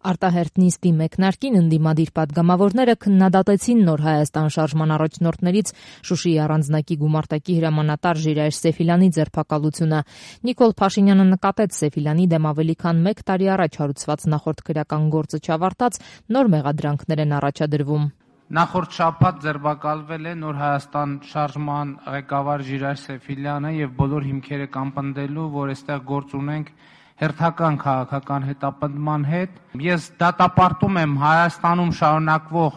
Արտահերթ նիստի մեկնարկին ընդդիմադիր պատգամավորները քննադատեցին Նոր Հայաստան շարժման առաջնորդներից Շուշիի առանձնակի գումարտակի հրամանատար Ժիրայր Սեֆիլյանի ձերբակալությունը։ Նիկոլ Փաշինյանը նկատեց Սեֆիլյանի դեմ ավելի քան 1 տարի առաջ հարուցված նախորդ քրեական գործը չավարտած նոր մեղադրանքներ են առաջադրվում։ Նախորդ շաբաթ ձերբակալվել է Նոր Հայաստան շարժման ղեկավար Ժիրայր Սեֆիլյանը եւ բոլոր հիմքերը կամպնդելու, որ այստեղ գործ ունենք հերթական քաղաքական հետապնդման հետ։ Ես դատապարտում եմ Հայաստանում շարունակվող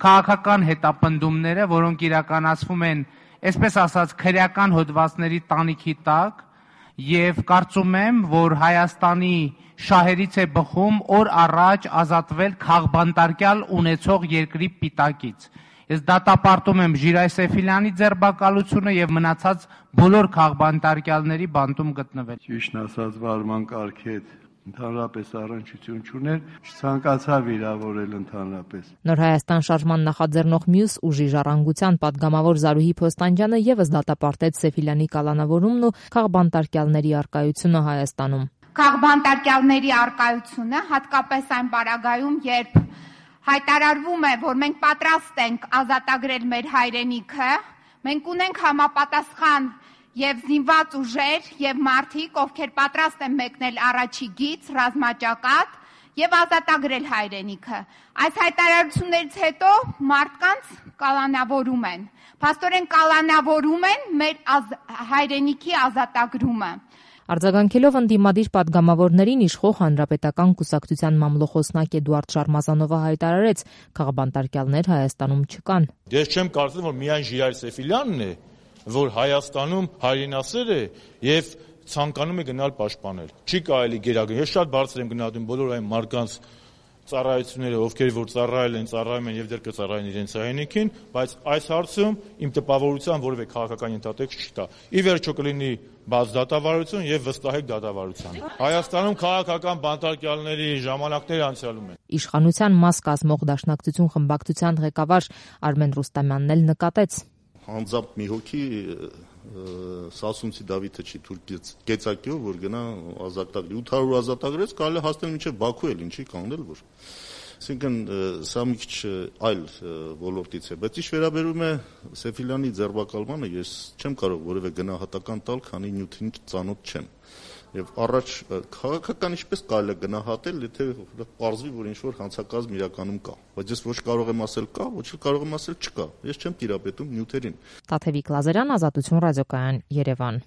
քաղաքական հետապնդումները, որոնք իրականացվում են, այսպես ասած, քրեական հոդվածների տանիքի տակ, եւ կարծում եմ, որ Հայաստանի շահերից է բխում օր առաջ ազատվել քաղբանտարկյալ ունեցող երկրի պիտակից։ Ես դատապարտում եմ Ժիրայր Սեֆիլյանի ձերբակալությունը եւ մնացած բոլոր քաղբանտարկյալների բանտում գտնվել։ Ճիշտն ասած, վարման կարգի հետ ընդհանրապես առնչություն չուներ, չցանկացա վիրավորել ընդհանրապես։ Նոր Հայաստան շարժման նախաձեռնող մյուս ուժի Ժառանգության պատգամավոր Զարուհի Փոստանջյանը եւս դատապարտեց Սեֆիլյանի կալանավորումն ու քաղբանտարկյալների առկայությունը Հայաստանում։ Քաղբանտարկյալների առկայությունը հատկապես այն պարագայում, երբ հայտարարվում է, որ մենք պատրաստ ենք ազատագրել մեր հայրենիքը, մենք ունենք համապատասխան եւ զինված ուժեր եւ մարդիկ, ովքեր պատրաստ են մեկնել առաջի գիծ, ռազմաճակատ եւ ազատագրել հայրենիքը։ Այս հայտարարություններից հետո մարդկանց կալանավորում են։ Փաստորեն կալանավորում են մեր հայրենիքի ազատագրումը։ Արձագանքելով ընդդիմադիր պատգամավորներին իշխող Հանրապետական կուսակցության մամլոխոսնակ Էդուարդ Շարմազանովը հայտարարեց, քաղբանտարկյալներ Հայաստանում չկան։ Ես չեմ կարծում, որ միայն Ժիրայր Սեֆիլյանն է, որ Հայաստանում հայրենասեր է եւ ցանկանում է գնալ պաշտպանել։ Չի կարելի գերագնել։ Ես շատ բարձր եմ գնահատում բոլոր այն մարդկանց ծառայությունները, ովքեր որ ծառայում են եւ դեռ կծառայեն իրենց հայրենիքին, բայց այս հարցում իմ տպավորության որևէ քաղաքական ենթատեքստ չկա։ Ի վերջո կլինի բաց դատավարություն եւ վստահեք դատավարության։ Հայաստանում քաղաքական բանտարկյալների ժամանակները անցյալում են։ Իշխանության մաս կազմող Դաշնակցություն խմբակցության ղեկավար Արմեն Ռուստամյանն էլ նկատեց. Անձամբ մի հոգի Սասունցի Դավիթը չի թույլ կեցակյով, որ գնա ազատագրի 800 ազատագրեց, կարելի հասնել մինչև Բաքու էլ ինչի կանգնել, որ այսինքն սա մի քիչ այլ ոլորտից է, բայց ինչ վերաբերում է Սեֆիլյանի ձերբակալմանը, ես չեմ կարող որևէ գնահատական տալ, քանի նյութին ծանոթ չեմ։ Եվ առաջ քաղաքական ինչպես կարելի է գնահատել, եթե պարզվի, որ ինչ-որ հանցակազմ իրականում կա, բայց ես ոչ կարող եմ ասել կա, ոչ էլ կարող եմ ասել չկա։ Ես չեմ տիրապետում նյութերին։ Տաթևիկ Լազարյան, Ազատություն ռադիոկայան, Երևան։